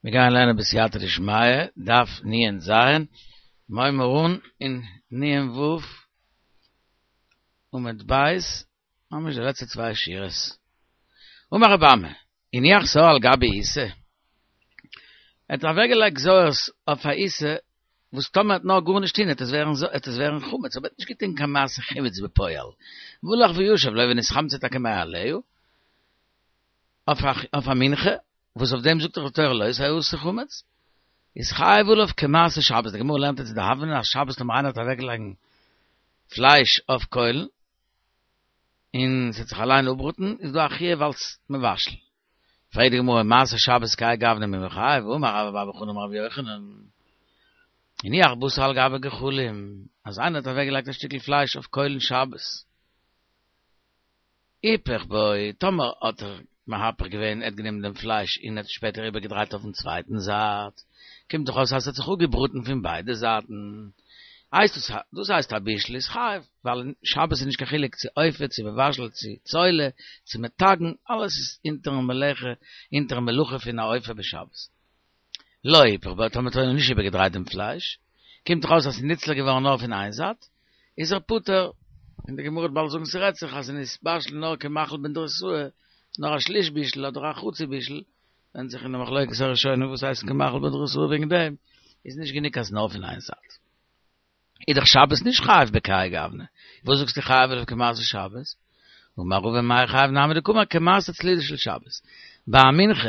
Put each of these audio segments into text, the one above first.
מיר גייען לערנען בסייעתא דשמיא, דף נ"ז, מיר הייבן אן אין נ"ו עמוד ב', ממש די לעצטע צוויי שורות. אמר רבי אמי, הניח שאור על גבי עיסה, ער האט אוועקגעלייגט שעור'ס אויף א עיסה וואס טאמער ער וועט נאר גארנישט טון וועט עס ווערן וועט עס ווערן חמץ, אבער ער האט נישט געטון קיין מעשה חימוץ בפועל, והלך וישב לא ונתחמצה טאקע מאליה, אויף א מנחה, וואס אויף דעם זאגט דאך די תורה לא תעשה חמץ, איז חייב עליו כמעשה שבת, די גמרא לערנט אונז אין די הוה אמינא אז שבת טאמער איינער האט אוועקגעלייגן פלייש אויף קוילן, און ס'וועט זיך אליין אפבראטן, איז דא א חיוב אלס מבשל. פרעגט די גמרא, מעשה שבת כהאי גוונא מי מיחייב, אמר רבה בר בר חנה אמר רבי יוחנן, הניח בשר על גבי גחלים, אז איינער האט אוועקגעלייגט א שטיקל פלייש אויף קוילן שבת, היפך בו, טאמער האט ער מהפך געווען, ער האט גענומען דעם פלייש און האט שפעטער איבערגעדרייט אויפן צווייטן זייט, קומט דאך אויס אז עס האט זיך אפגעבראטן פון ביידע זייטן, הייסט דאס דאס הייסט א בישול איז חייב, ווייל אין שבת איז נישט קיין חילוק צו אופה צו מבשל צו צולה צו מטגן, אלעס איז אונטערן מלאכה אונטערן מלאכה פון א אופה בשבת. לא היפך בו, טאמער האט ער נישט איבערגעדרייט דעם פלייש, קומט דאך אויס אז ס'איז ניצל געווארן נאר פון איין זייט, איז ער פטור, און די גמרא וועט באלד זאגן ס'רעדט זיך אז ס'איז נתבשל נאר כמכחול בנדרסאי, נאר א שליש בישול אדער א חצי בישול, ווענדט זיך אין די מחלוקת הראשונים וואס הייסט כמכחול בדרסאי וועגן דעם איז נישט גענוג אז נאר פון איין זייט. איז דאך שבת נישט חייב בכהאי גוונא, וואס זאגסטו חייב עליו כמעשה שבת? אמר רבא מאי חייב נמי דקאמר כמעשה צלילה של שבת. ביי א מנחה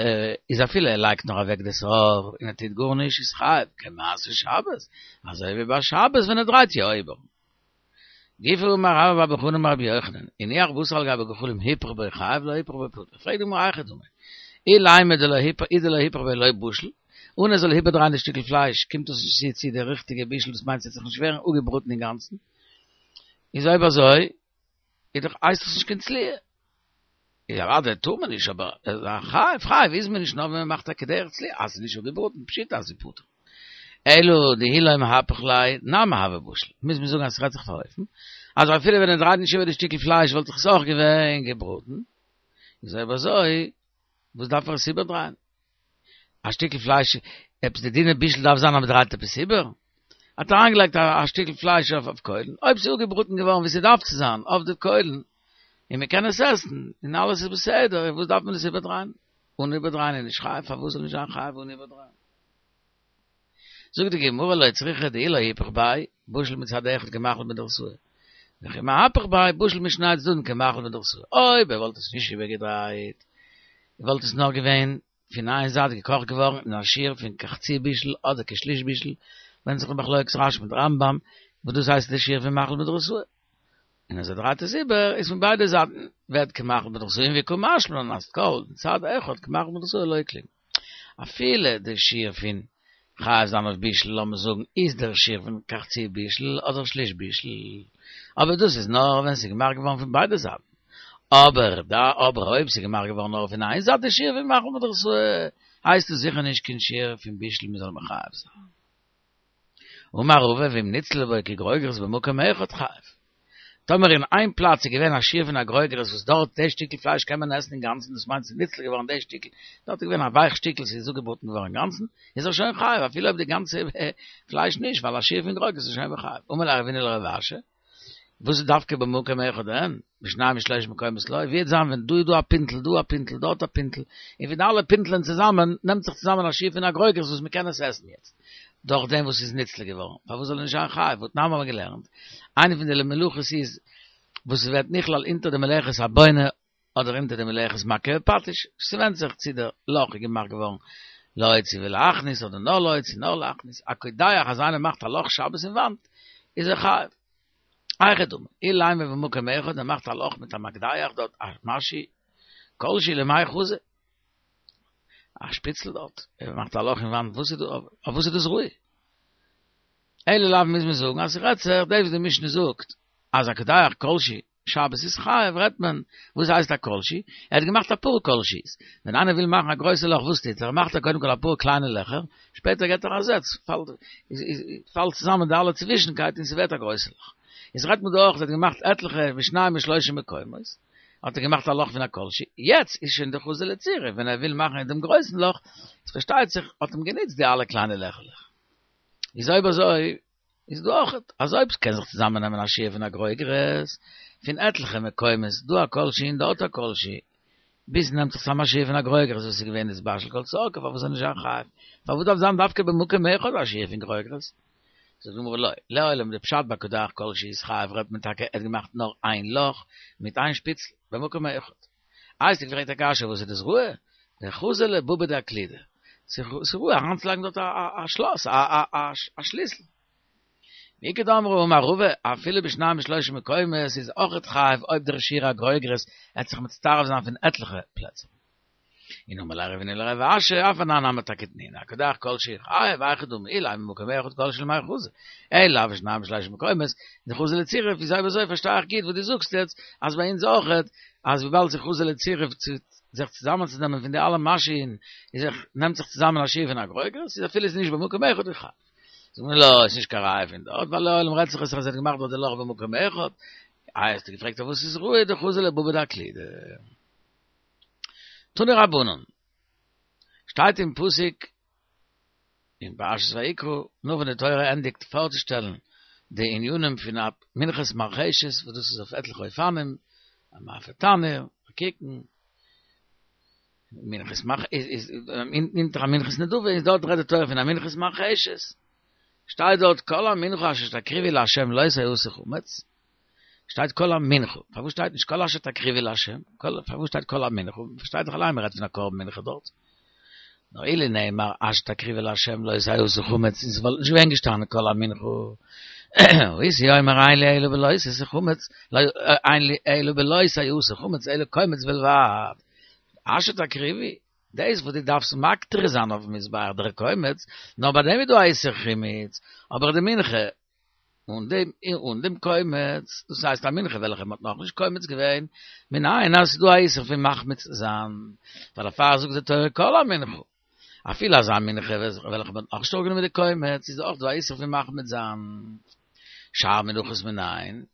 איז אפילו ער לייגט נאר אוועק די שאור און ער טוט גארנישט איז חייב כמעשה שבת, אזוי ווי ביי שבת ווען ער דרייט יא איבער. גופא אמר רבה בר בר חנה אמר רבי יוחנן, הניח בשר על גבי גחלים היפך בו חייב לא היפך בו פטור. פרעגט די גמרא היכי דמי, אילימא דלא היפך אי דלא היפך ביה לא בשיל, אן ער זאל איבערדרייען די שטיקל פלייש קומט דאס נישט צו צו די ריכטיגע בישול דאס מיינט ס'וועט זיך נישט ווערן אפגעבראטן אינגאנצן, איז אויב אזוי איז דאך הייסט דאס נישט קיין צליה. איז אוודאי טאר מען נישט אבער חייב חייב איז מען נישט נאר ווען מען מאכט א כדרך צליה אז ס'איז נישט אפגעבראטן פשיטא אז ס'איז פטור. אלא דאי לא מהפך ליה נמי הוי בשיל מוז מען זאגן אז ס'רעדט זיך אויף אן אופן אז אפילו ווען ער דרייט נישט איבער די שטיקל פלייש וואלט זיך עס אויך געווען געבראטן איז אויב אזוי וואס דארף ער עס איבערדרייען? א שטיקל פלייש, עפעס די דינע בישל דארף זיין אז מ'דרייט עפעס איבער? האט אריינגעלייגט א שטיקל פלייש אויף קוילן, אויב ס'איז אפגעבראטן געווארן ווי ס'דארף צו זיין אויף די קוילן, און מ'קען עס עסן, און אלעס איז בסדר, וואס דארף מען עס איבערדרייען? אן איבערדרייען איז נישט חייב, פארוואס זאל נישט זיין חייב אן איבערדרייען? זאגט די גמרא לא צריכא דאי לא היפך ביה, בשיל מצד אחד כמכחול בדרסוה, וכי מהפך ביה בשיל משני צדדים כמכחול בדרסוה, אויב ער וואלט עס נישט איבערגעדרייט, וואלט עס נאר געווען פון איין זייט געקאכט געווארן אין א שיעור פון כחצי בישול אדער כשליש בישול, ווענדט זיך די מחלוקת רש"י מיט רמב"ם, וואס דאס הייסט די שיעור פון מכחול בדרסוה. און אז ער דרייט עס איבער איז פון ביידע זייטן ווערט כמכחול בדרסוה און וקא משמע לן אז כל מצד אחד כמכחול בדרסוה לא כלום. אפילו די שיעור פון חייב זיין אויף בישול לאמיר זאגן איז דער שיעור פון כחצי בישול אדער שליש בישול, אבער דאס איז נאר ווען ס'איז געמאכט געווארן פון ביידע זייטן, אבער אבער אויב ס'איז געמאכט געווארן נאר פון איין זייט די שיעור פון מכחול בדרסוה הייסט עס זיכער נישט קיין שיעור פון בישול מ'זאל מחייב זיין. אמר רבא ואם נצלה בו כגרוגרת במקום אחד חייב. טאמער אין איין פלאץ איז געווען א שיעור פון א גרוגרת וואס דארט די שטיקל פלייש קען מען עסן אינגאנצן דאס מיינט ס'איז ניצל געווארן די שטיקל, דארט איז געווען א ווייך שטיקל ס'איז אפגעבראטן געווארן אינגאנצן, איז ער שוין חייב אפילו אויב די גאנצע פלייש נישט ווייל א שיעור פון גרוגרת איז שוין מחייב. אמר ליה רבינא לרב אשי, וואס איז דווקא במקום אחד אין, בשניים ושלושה מקומות לא, ווי וועט זיין ווען דא איז דא א פינטל, דא א פינטל, דארט א פינטל, און פון די אלע פינטלען צוזאמען נעמט זיך צוזאמען א שיעור פון א גרוגרת וואס מען קען עס עסן יעצט, דורך דעם וואס איז ניצל געווארן, פארוואס זאל ער נישט זיין חייב, והתנן האבן מיר געלערנט, איינע פון די מלאכות איז וואס עס ווערט נכלל אונטער די מלאכת הבונה אדער אונטער די מלאכת מכה בפטיש, ס'ווענדט זיך צו דער לאך איז געמאכט געווארן להוציא ולהכניס אדער נאר להוציא נאר להכניס, א קודח אז איינער מאכט א לאך שבת אין וואנט איז ער חייב. היכי דמי, אילימא במקום אחד ער מאכט א לאך מיט א מקדח דארט א משהו כל שהוא למאי חזי, א שפיצל דארט, ער מאכט א לאך אין וואנט, וואס איז דא, אויף וואס איז דאס ראוי? אלא לאו מוז מען זאגן אז ס'רעדט זיך דאס וואס די משנה זאגט אז א קודח כל שהוא שבת איז חייב רעדט מען וואס הייסט א כל שהוא? ער האט געמאכט אפאר כל שהו'ס, ווען איינער וויל מאכן א גרויסע לאך וואס טוט ער? מאכט ער קודם כל אפאר קליינע לעכער, שפעטער געט ער א זעץ, פאלט צוזאמען די אלע צווישנקייט און ס'ווערט א גרויסע לאך. איז רעדט מען דא אויך ער האט געמאכט עטליכע בשניים ושלושה מקומות. האט ער געמאכט א לאך פון א כל שהוא, יעצט איז שוין דחזי לצירוף, ווען ער וויל מאכן אין דעם גרויסן לאך, איז פארשטייט זיך האט אים גענוצט די אלע קליינע לעכעלעך. איז אויב אזוי איז דא אויך אז אויב ס'קען זיך צוזאמען נעמען א שיעור פון א גרוגרת פון עטליכע מקומות דא א כל שהוא און דארט א כל שהוא ביז ס'נעמט זיך צוזאם א שיעור פון א גרוגרת וואס איז געווען נתבשל כל צרכו פארוואס זאל נישט זיין חייב פארוואס דארף זיין דווקא במקום אחד א שיעור פון גרוגרת? זאגט די גמרא לא, לעולם די פשט ביי קדח כל שהוא איז חייב רעדט מען טאקע ער האט געמאכט נאר איין לאך מיט איין שפיצל במקום אחד. איי האסטו געפרעגט א קשיא וואס איז דאס ראוי? דחזי לבבא דאקלידא, ס'איז ראוי אריינצולייגן דארט א שלאס, א שליסל. ואיכא דאמרי אמר רבא, אפילו בשניים ושלושה מקומות איז אויכעט חייב אויב דער שיעור הגרוגרת עט זיך מצטרף זיין פון עטליכע פלעצער. און אמר ליה רבינא לרב אשי, אף אנן נמי טאקע תנינא, הקודח כל שהוא חייב, היכי דמי אילימא במקום אחד כל שהוא למאי חזי, אלא לאו בשניים ושלושה מקומות, דחזי לצירוף, איז אויב אזוי פארשטיי איך גוט וואס דו זאגסט יעצט, אז ביי אונז אויכעט, אז וויבאלד ס'איז חזי לצירוף צו זיך צוזאמענצונעמען פון די אלע משהין, איז זיך נעמט זיך צוזאמען א שיעור פון א גרוגרת, איז אפילו איז נישט במקום אחד איז חייב. זאגט מען לא, איז נישט קיין ראיה פון דארט, ווייל לעולם רעדט זיך עס אז ער האט געמאכט דארט די לאך במקום אחד, איי האסטו געפרעגט אויף וואס איז ראוי דחזי לבבא דאקלידא. תנו רבנן, שטייט אין פסוק אין פרשת ויקרא, נאך ווען די תורה ענדיגט פארצושטעלן די ענינים פון א מנחת מרחשת, וואס דאס איז אויף עטליכע אופנים, א מאפה תנור, א קיתון, מנחת מח איז אונטער א מנחת נדבה, איז דארט רעדט די תורה פון א מנחת מרחשת, שטייט דארט כל המנחה אשר תקריבו לה' לא תעשה חמץ, שטייט כל המנחה, פארוואס שטייט נישט כל אשר תקריבי לה'? פארוואס שטייט כל המנחה? פארשטייט זיך אליין מ'רעדט פון א קרבן מנחה דארט. נאר אילו נאמר אשר תקריבי לה' לא תעשה חמץ, און ס'וואלט נישט געווען געשטאנען כל המנחה. הייתי אומר אין לי אלא בלא תעשה חמץ, אין לי אלא בלא תעשה חמץ אלא קומץ בלבד. אשר תקריבי, דאס וואס דו דארפסט מקטיר זיין אויפן מזבח דער קומץ, נאר ביי דעם איז דא א איסור חימוץ, אבער די מנחה אן דעם אן דעם קומץ, דאס הייסט א מנחה וועלכע מ'האט נאכנישט קומץ געווען, מנין אז ס'איז דא א איסור פון מחמיץ זיין, ווייל דערפאר זאגט די תורה כל המנחה, אפילו אזא מנחה וועלכע מ'האט נאכנישט אראפגענומען די קומץ, איז אויך דא א איסור פון מחמיץ זיין. שאר מנחות מנין,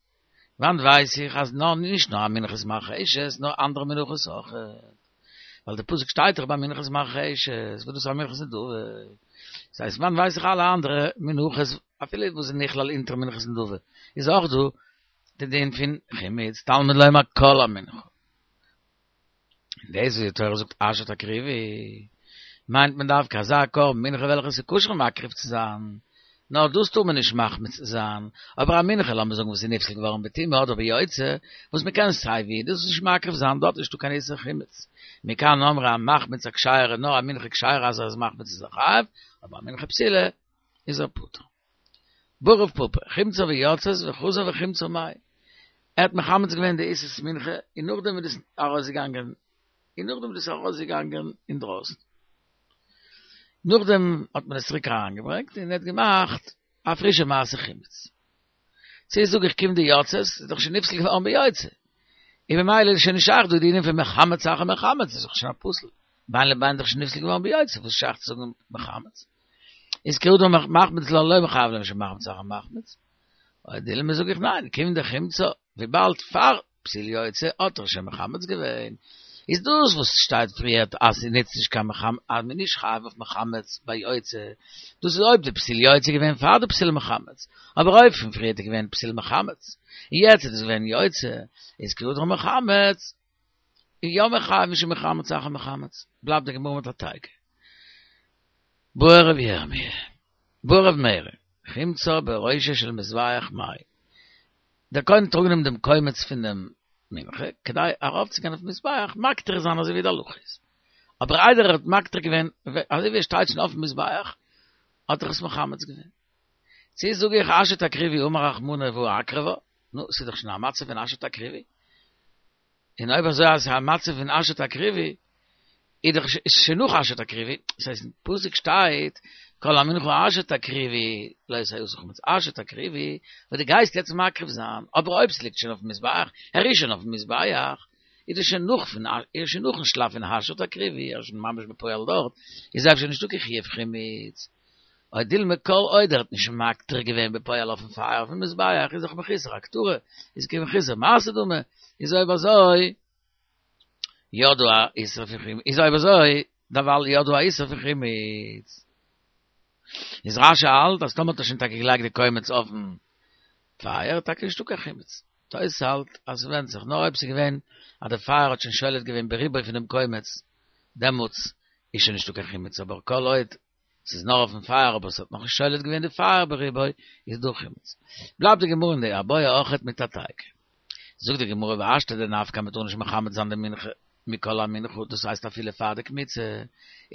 וואנעט ווייס איך אז נאר נישט נאר א מנחת מרחשת נאר אנדערע מנחות אויך, ווייל די פסוק שטייט דאך ביי מנחת מרחשת וואס דאס איז א מנחת נדבה, דאס הייסט וואנעט ווייס איך אלע אנדערע מנחות אפילו וואס איז נכלל אונטער מנחת נדבה איז אויך דא די דין פון חימוץ תלמוד לומר כל המנחה. און דאס וואס די תורה זאגט אשר תקריבי, מיינט מען דווקא אזא קרבן מנחה וועלכע איז כשר מקריב צו זיין, נאר דאס טאר מען נישט מחמיץ זיין, אבער א מנחה לאמיר זאגן וואס איז נפסל געווארן בטומאה אדער ביוצא, וואס מען קען סיי ווי דאס נישט מקריב זיין, דארט איז נישטא קיין איסור חימוץ. מכאן אמרו המחמיץ הכשרה נאר א מנחה כשרה אז ער איז מחמיץ איז ער חייב, אבער א מנחה פסולה איז ער פטור. בעי רב פפא, חמצה ויצאת וחזר וחמצה מאי. ער האט מחמץ געווען די עיסת מנחה און נאכדעם איז דאס ארויסגעגאנגען און נאכדעם איז דאס ארויסגעגאנגען אינדרויסן. נאכדעם האט מען עס צוריק אריינגעברענגט און ער האט געמאכט א פרישע מעשה חימוץ. צו זאג איך כיון דיצאת, איז דאך שוין נפסל געווארן ביוצא. און ממילא איז שוין נישט שייך דא די ענין פון מחמץ אחר מחמץ, איז דאך שוין א פסול. בין לבין איז דאך שוין נפסל געווארן ביוצא, וואס איז שייך צו זאגן מחמץ? איז כי הא דמחמיץ לה לא מיחייב אלא משום מחמיץ אחר מחמיץ. או דילמא זאג איך ניין, כיון דחמצה, וויבאלד פאר פסול יוצא האט ער שוין מחמץ געווען, איז דאס וואס שטייט פריערט אז ס'נוצט נישט קיין מחמץ אז מ'איז נישט חייב אויף מחמץ ביי יוצא, דאס איז אויב די פסול יוצא איז געווען פאר די פסול מחמץ, אבער אויב פון פריערט איז געווען פסול מחמץ, און יעצט איז דאס געווען יוצא, איז כי הדר מחמץ, איז יא מחייב משום מחמץ אחר מחמץ, בלייבט די גמרא מיט א תיקו. בעי רב ירמי', בעי רב מרי, חמצה בראשו של מזבח מאי. דער כהן האט אראפגענומען דעם קומץ פון דעם מנחה, כדי ארויפצוגיין אויפן מזבח מקטיר זיין אזוי ווי די הלכה איז. אבער איידער ער האט מקטיר געווען, אזוי ווי ער שטייט שוין אויפן מזבח, האט ער עס מחמץ געווען. צו זאג איך אשר תקריבי אמר רחמנא והא אקרבה, נו, ס'איז דאך שוין א מצב פון אשר תקריבי. און אויב אזוי אז ס'איז א מצב פון אשר תקריבי, איז דאך איז שוין נאך אשר תקריבי, דאס הייסט אין פסוק שטייט כל המנחה אשר תקריבי לא תעשה חמץ, אשר תקריבי, וואס דו גייסט יעצט מקריב זיין, אבער אויב ס'ליגט שוין אויפן מזבח, ער איז שוין אויפן מזבח, איז דאס שוין נאך פון איז שוין נאכן שלב פון אשר תקריבי, ער איז שוין ממש בפועל דארט, איז אפשר נישטא קיין חיוב חימוץ. או דילמא כל עוד ער האט נישט מקטיר געווען בפועל אויפן פייער אויפן מזבח איז דאך מחוסר הקטרה, איז כמחוסר מעשה דמי, איז אויב אזוי. יא דא א איסור פון חימוץ, איז אויב אזוי דערווייל יא דא א איסור פון חימוץ. איז רש"י האלט אז טאמער האט ער שוין טאקע געלייגט די קומץ אויפן פייער טאקע נישטא קיין חימוץ. תוס' האלט אז ס'ווענדט זיך, נאר אויב ס'איז געווען אז די פייער האט שוין שולט געווען ברובו פונעם קומץ, דעמאלטס איז שוין נישטא קיין חימוץ, אבער כל עוד ס'איז נאר אויפן פייער אבער ס'האט נאכנישט שולט געווען די פייער ברובו, איז דא חימוץ. בלייבט די גמרא אין די איבעיא אויכעט מיט א תיקו. זאגט די גמרא והשתא דנפקא מ'טאר נישט מחמץ זיין די מנחה מכל המנחה דאס הייסט אפילו פאר די קמיצה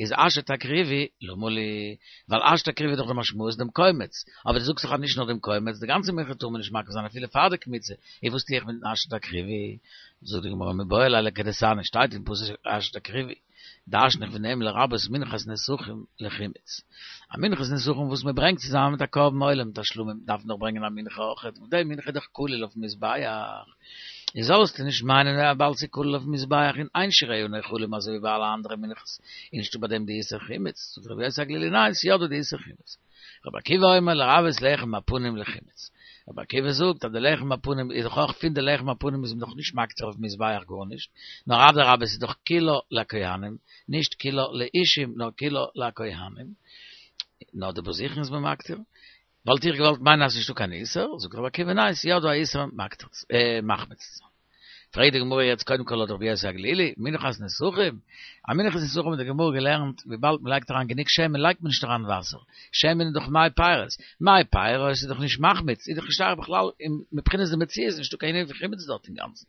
איז אשר תקריבי למה לי ווייל אשר תקריבי איז דאך די משמעות דעם קומץ אבער דו זאגסט דאך אז נישט נאר דעם קומץ די גאנצע מנחה טאר מען נישט מקריב זיין אפילו פאר די קמיצה איז וואס טו איך מיטן אשר תקריבי זאגט די גמרא מיבעי ליה לכדתניא שטייט אין פסוק אשר תקריבי דרש'ן איך פון דעם לרבות מנחת נסכים לחימוץ. א מנחת נסכים וואס מען ברענגט צוזאמען מיט א קרבן עולה מיט א שלמים דארף מען דאך ברענגען א מנחה אויכעט, און די מנחה איז דאך כלול אויפן מזבח. איז זאלסטו נישט מיינען וויבאלד ס'איז כלול אויפן מזבח און אין שיריה נאכלים אזוי ווי ביי אלע אנדערע מנחות איז נישטא ביי דעם די איסור חימוץ. זאגט רבי יוסי הגלילי ניין ס'איז יא דא די איסור חימוץ. רבי עקיבא אומר לרבות לחם הפנים לחימוץ. רבי עקיבא זאגט אז די לחם הפנים איז דאך אויך פון די לחם הפנים איז מען דאך נישט מקטיר אויפן מזבח גארנישט, נאר אדרבה ס'איז דאך כולה לכהנים, נישט כולה לאישים נאר כולה לכהנים, נאר די בזיכין איז מען מקטיר. וואלט איך געוואלט מיינען אז ס'נישטא קיין איסור, זאגט רבי עקיבא ניין ס'איז יא דא א איסור מקטיר מחמיץ צו זיין. פרעגט די גמרא יעצט קודם כל לויט רבי יוסי הגלילי, מנחת נסכים, א מנחת נסכים האט די גמרא געלערנט וויבאלד מען לייגט אריין גענוג שמן לייגט מען נישט אריין וואסער, שמן איז דאך מי פירות, מי פירות איז דאך נישט מחמיץ, איז דאך נישט שייך בכלל מבחינת די מציאות איז נישטא קיין ענין פון חימוץ דארט אינגאנצן.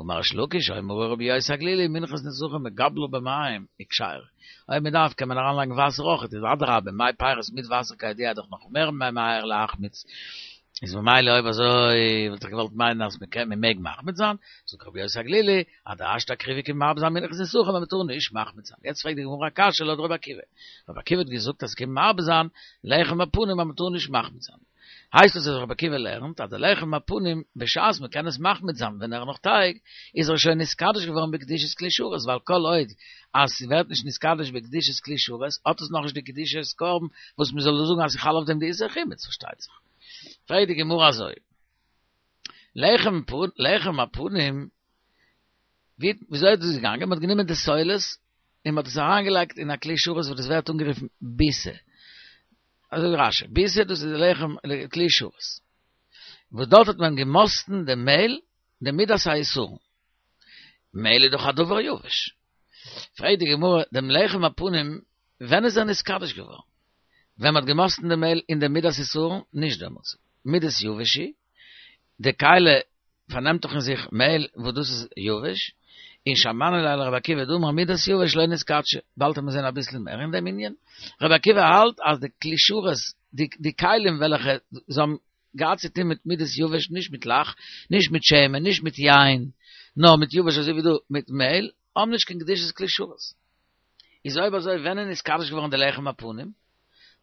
אמר ריש לקיש אמרה רבי יוסי הגלילי מנחת נסכים מגבלה במים וכשרה, אויב מען דארף קען מען אריינלייגן וואסער אויכעט, איז אדרבה מי פירות מיט וואסער כידוע איז דאך נאך מער ממהר להחמיץ, איז ממילא אויב אזוי וואלט איך געוואלט מיינען אז מען קען מען מעג מחמיץ זיין, זאגט רבי יוסי הגלילי אז די אשר תקריבי קומט מרבה זיין מנחת נסכים אז מען טאר נישט מחמיץ זיין, יעצט פרעגט די גמרא א קשיא לויט רבי עקיבא, רבי עקיבא האט געזאגט אז ס'קומט מרבה זיין לחם הפנים אז מען טאר נישט מחמיץ זיין, הייסט עס אז רבי עקיבא לערנט אז די לחם הפנים בשעת מען קען עס מחמיץ זיין ווען ער איז נאך טייג איז ער שוין נתקדש געווארן בקדושת כלי שרת ווייל כל עוד אז ס'ווערט נישט נתקדש בקדושת כלי שרת האט עס נאכנישט די קדושת קרבן וואס מען זאל זאגן אז ס'חל אויף דעם די איסור חימוץ פארשטייט זיך. פרעגט די גמרא אזוי, לחם לחם הפנים, ווי וויאזוי איז דאס געגאנגען? מען האט גענומען די סולת און מען האט עס אריינגעלייגט אין א כלי שרת וואס דאס ווערט אנגערופן ביסה, אזוי זאגט רש"י, ביסה דאס איז די לחם כלי שרת, וואס דארט האט מען געמאסטן די מעהל די מידת העיסורין, מעהל איז דאך א דבר יבש, פרעגט די גמרא דעם לחם הפנים ווען איז ער נתקדש געווארן? ווען מ'האט געמאסטן די מעהל אין די מידת עיסורין? נישט דעמאלטס. מידת יבש היא, די כלי פארנעמט דאך אין זיך מעהל וואס דאס איז יבש, און שמענא ליה לרבי עקיבא דאמר מידת יבש לא נתקדשה, באלד וועט מען זעהן אביסל מער אין דעם ענין. רבי עקיבא האלט אז די כלי שרת, די כלים וועלכע זיי האבן געהאט צו טון מיט מידת יבש, נישט מיט לח, נישט מיט שמן, נישט מיט יין, נאר מיט יבש אזוי ווי דא מיט מעהל, האבן נישט קיין קדושת כלי שרת. איז אויב אזוי ווען איז נתקדש געווארן די לחם הפנים?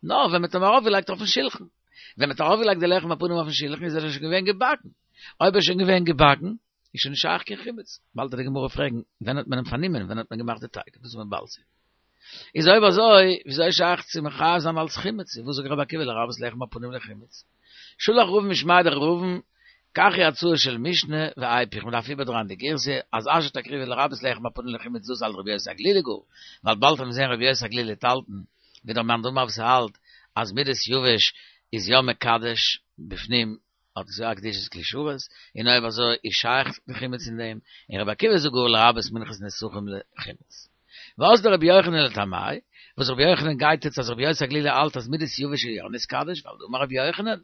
נאר ווען מ'האט אים ארויפגעלייגט אויפן שולחן. ווען מ'האט ארויפגעלייגט די לחם הפנים אויפן שולחן איז ער שוין געווען געבאקן. אויב ער איז שוין געווען געבאקן, איז שוין נישט שייך קיין חימוץ. באלד וועט די גמרא פרעגן, ווען האט מען אים פארנומען, ווען האט מען געמאכט די טייג? דאס וועט מען באלד זען. איז אויב אזוי, וויאזוי איז שייך צו מחייב זיין אלס חימוץ? וואס זאגט רבי עקיבא לרבות לחם הפנים לחימוץ? שלח רבין משמיה דרב אבין, כך היא הצעה של משנה ואיפוך, מען דארף איבערדרייען די גירסא, אז אשר תקריבי לרבות לחם הפנים לחימוץ דאס האלט רבי יוסי הגלילי גאר, ווייל באלד וועט מען זען רבי יוסי הגלילי וועט האלטן, ווי דער מאן דאמר וואס האלט אז מידת יבש איז יא מקדש בפנים האט עס יא א קדושת כלי שרת, און אויב אזוי איז שייך די חימוץ אין דעם, און רבי עקיבא זאגט גאר לרבות מנחת נסכים לחימוץ. ואזדא רבי יוחנן לטעמיה, וואס רבי יוחנן גייט יעצט אז רבי יוסי הגלילי האלט אז מידת יבש איז יא נתקדש, ווייל דאמר רבי יוחנן,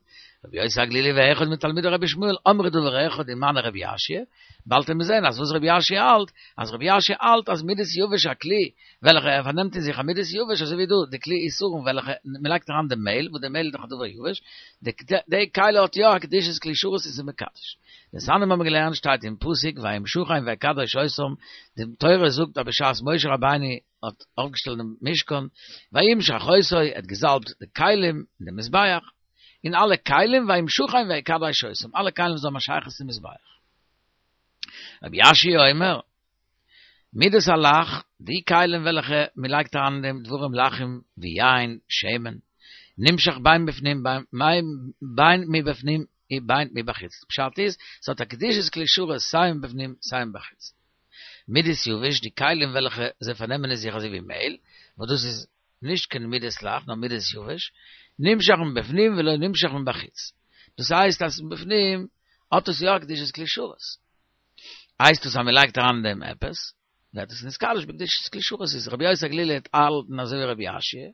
רבי יוסי הגלילי ואחד מתלמידי רבי ישמעאל אמרו דבר אחד ומני רבי יאשיה, באלד וועט מען זען אז וואס רבי יאשיה האלט, אז רבי יאשיה האלט אז מידת יבש א כלי וועלכע ער פארנעמט אין זיך א מידת יבש אזוי ווי דא די כלי עיסורין וועלכע מען לייגט אריין די מעהל וואס די מעהל איז דאך א דבר יבש, די כלי האט יא א קדושת כלי שרת און ס'איז מקדש. דתניא האבן מיר געלערנט שטייט אין פסוק וימשחם ויקדש אותם, די תורה זאגט אז בשעת משה רבינו האט אויפגעשטעלט דעם משכן, וימשח אותו, ער האט געזאלבט די כלים און די מזבח, און אלע כלים וימשחם ויקדש אותם, אלע כלים וואס האבן א שייכות צום מזבח. רבי יאשיה אומר, מידת הלח, די כלים וועלכע מען לייגט אריין אין דעם דברים לחים ווי יין, שמן, נמשח בין בפנים בין מבפנים ובין מבחוץ. פשט איז, ס'האט א קדושת כלי שרת סיי מבפנים סיי מבחוץ. מידת יבש, די כלים וועלכע זיי פארנעמען אין זיך אזוי ווי מעהל, וואס דאס איז נישט קיין מידת לח נאר מידת יבש, נמשך מבפנים ולא נמשך מבחוץ. דאס הייסט אז מבפנים האט עס יא א קדושת כלי שרת. הייסט עס אז מען לייגט אריין אין דעם עפעס, ווערט עס נתקדש בקדושת כלי שרת איז רבי יוסי הגלילי האט געהאלטן אזוי ווי רבי יאשיה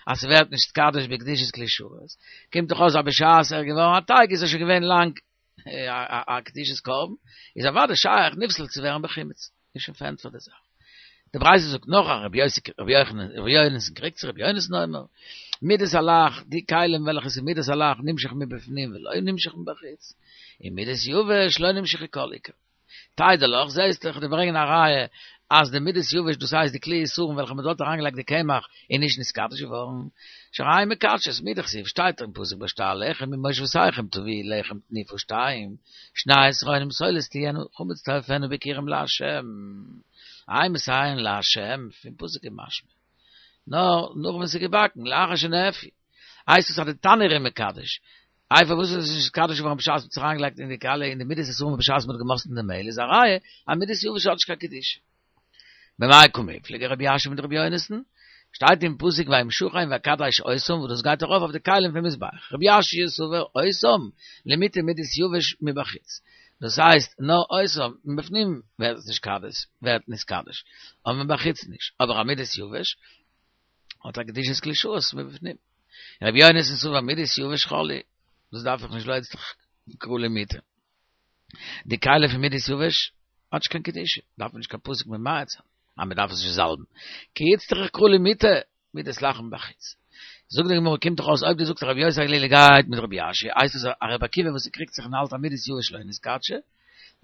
אז ס'ווערט נתקדש בקדושת כלי שרת, קומט דאך אויס אז בשעת ער איז געווארן א טייג איז ער שוין געווען לאנג א קדושת קרבן, איז אוודאי שייך נפסל צו ווערן בחימוץ, איז שוין פארענטפערט די זאך. די ברייתא זאגט נאך א רבי יוסי רבי יוחנן רבי יונתן קריגט זיך רבי יונתן אומר מידת הלח די כלים וועלכע ס'איז מידת הלח נמשך מבפנים ולא נמשך מבחוץ, און מידת יבש לא נמשך כל עיקר. תדע לך, זעהסט איך דיר ברענגען א ראיה אז די מידת יבש דאס הייסט די כלי עישורין וועלכע מען האט דארט אריינגעלייגט די קמח איז נישט נתקדש געווארן, שהרי הן מקדשות, מדכתיב שטייט אין פסוק בשתי הלחם ממושבותיכם תביאו לחם תנופה שתיים, שני עשרונים סולת תהיינה חמץ תאפינה ביכורים לה', אימתי הן לה', פון פסוק איז משמע נאר נאך ווען ס'איז געבאקן, לאחר שנאפו, הייסט עס אז די תנור איז מקדש, איי פארוואס איז עס נישט נתקדש געווארן בשעת מ'האט עס אריינגעלייגט אין די כלי אין די מידת האיסורין בשעת מ'האט געמאסטן די מעהל איז א ראיה אז מידת יבש האט נישט קיין קדושה. במאי קמיפלגי רבי יאשיה מיט רבי יונתן? שטייט אין פסוק וימשחם ויקדש אותם וואס דאס גייט ארויף אויף די כלים פון מזבח. רבי יאשיה סבר אותם למעוטי מידת יבש מבחוץ. דאס הייסט נאר אותם מבפנים ווערט עס נתקדש ווערט נתקדש אבער מבחוץ נישט. אבער א מידת יבש האט א קדושת כלי שרת מבפנים. רבי יונתן סבר מידת יבש חול היא, דאס דארף איך נישט לא איצטריך קרא למעוטי. די כלי פון מידת יבש האט נישט קיין קדושה, דארף מען נישט קיין פסוק ממעט זיין, אז מען דארף עס נישט זאלבן. כי איצטריך קרא למעוטי מידת לח מבחוץ. זאגט די גמרא קומט דאך אויס אויב דו זאגסט רבי יוסי הגלילי גייט מיט רבי יאשיה הייסט עס א רבי עקיבא וואס קריגט זיך און האלט אז מידת יבש לא נתקדשה,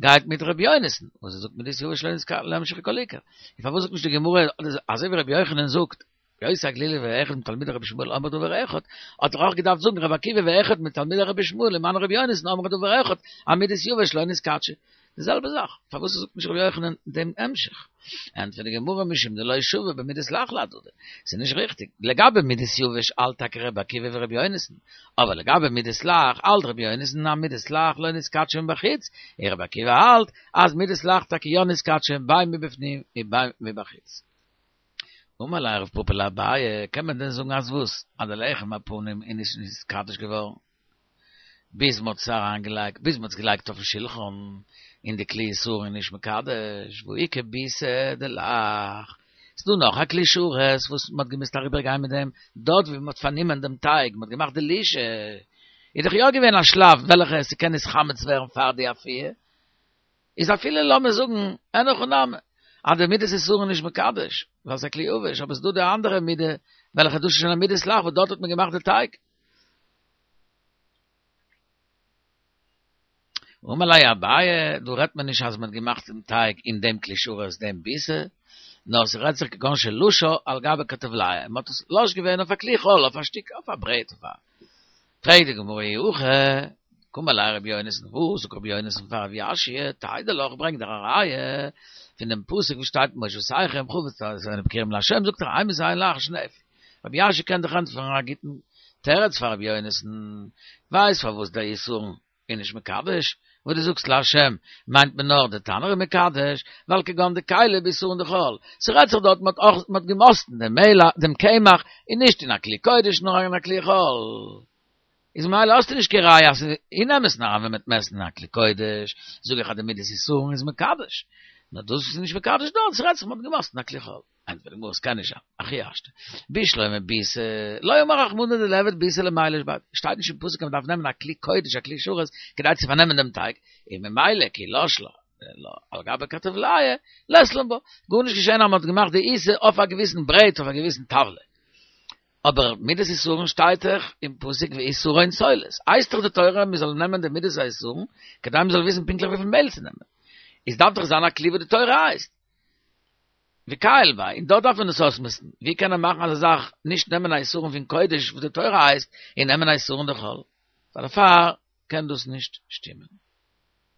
גייט מיט רבי יונתן, וואס ער זאגט מידת יבש לא נתקדש לא נמשכה כל עיקר. און פארוואס זאגט נישט די גמרא אזוי ווי רבי יוחנן זאגט, רבי יוסי הגלילי ואחד מתלמידי רבי ישמעאל אמרו דבר אחד, האט ער אויך געדארפט זאגן רבי עקיבא ואחד מתלמידי רבי ישמעאל ומנו רבי יונתן אמרו דבר אחד, אז מידת יבש לא נתקדשה. די זעלבע זאך, פארוואס זאגט נישט רבי יוחנן דעם המשך? ענטפערט די גמרא משום דלא שוו במידת לח להדדי, ס'איז נישט ריכטיג, לגבי מידת יבש האלט טאקע רבי עקיבא ווי רבי יונתן, אבער לגבי מידת לח האלט רבי יונתן אז מידת לח לא נתקדשה מבחוץ, און רבי עקיבא האלט אז מידת לח טאקע יא נתקדשה בין מבפנים ובין מבחוץ. אמר ליה רב פפא לאביי, קען מען דען זאגן אז וואס? אז די לחם הפנים איז נישט נתקדש געווארן ביז מ'האט עס אריינגעלייגט, ביז מ'האט עס געלייגט אויפן שלחן, און די כלי עישורין איז נישט מקדש, והא איכא ביסא דלח. ס'דא נאך א כלי שרת וואס מ'האט געמוזט אריבער גיין מיט דעם, דארט ווי מ'האט פארנומען דעם טייג, מ'האט געמאכט די לישה, איז דאך יא געווען א שלב וועלכע ס'קען נתחמץ ווערן פאר די אפייה, איז אפילו לאמיר זאגן אין הכי נמי אז די מידת עישורין נישט מקדש, ווייל ס'איז א כלי עבש, אבער ס'דא די אנדערע מידה וועלכע דאס איז שוין א מידת לח וואס דארט האט מען געמאכט די טייג. אמר ליה אביי, דא רעדט מען נישט אז מען האט געמאכט דעם טייג אין דעם כלי שרת דעם ביסא, נאר ס'רעדט זיך כגון שלשה על גבי כרטבליא, מען האט עס לש געווען אויף א כלי חול, אויף א שטיק, אויף א ברעט, אויף א. פרעגט די גמרא אי הכי, קאמר ליה רבי יונתן, וואס זאגט רבי יונתן פאר רב יאשיה, תדע לך, ברענג דיר א ראיה פון דעם פסוק וואס שטייט במושבותיכם חמץ תאפנו ביכורים לה', זאגט ער אימתי הן לאחר שנאפו. רבי יאשיה קען דאך ענטפערן א גוטן תירוץ פאר רבי יונתן, ווייסט פארוואס דער עישורין איז נישט מקדש, וואס דו זאגסט לה' מיינט מען נאר די תנור איז מקדש, ווייל כגון דכיילי בעישורין דחול, ס'רעדט זיך דארט מ'האט אויך מ'האט געמאסטן דעם מעהל דעם קמח און נישט אין א כלי קודש נאר אין א כלי חול, איז ממילא האסטו נישט קיין ראיה אז אין אמת'ן אריין ווען מ'וועט מעסטן אין א כלי קודש זאג איך אז די מידת עישורין איז מקדש, נאר דאס איז נישט מקדש דארט, ס'רעדט זיך מ'האט געמאסטן אין א כלי חול. ענטפערט די גמרא ס'קען נישט זיין, הכי השתא, בשלמא ביסא, לא אמר רחמנא דליעבד ביסא למילש ביה, שטייט נישט אין פסוק אז מ'דארף נעמען א כלי קודש א כלי שרת כדי צו פארנעמען דעם טייג, און ממילא כי לש לה על גבי כרטבליא לית לן בה, גארנישט געשען אז מ'האט געמאכט די עיסה אויף א געוויסן ברעט אויף א געוויסן טאוולע. אבער מידת עישורין שטייט דאך אין פסוק ועשרון סולת, הייסט דאך די תורה מ'זאל נעמען די מידת העישורין כדי מ'זאל וויסן פונקטליך וויפיל מעהל צו נעמען, איז דארף דאך זיין א כלי וואס די תורה הייסט. וכייל ביה, און דארט דארף מען עס אויסמעסטן, ווי קען ער מאכן אזא זאך, נישט נעמען א עישורין פון קודש וואס די תורה הייסט, און נעמען א עישורין דחול? פאר דערפאר קען דאס נישט שטימען.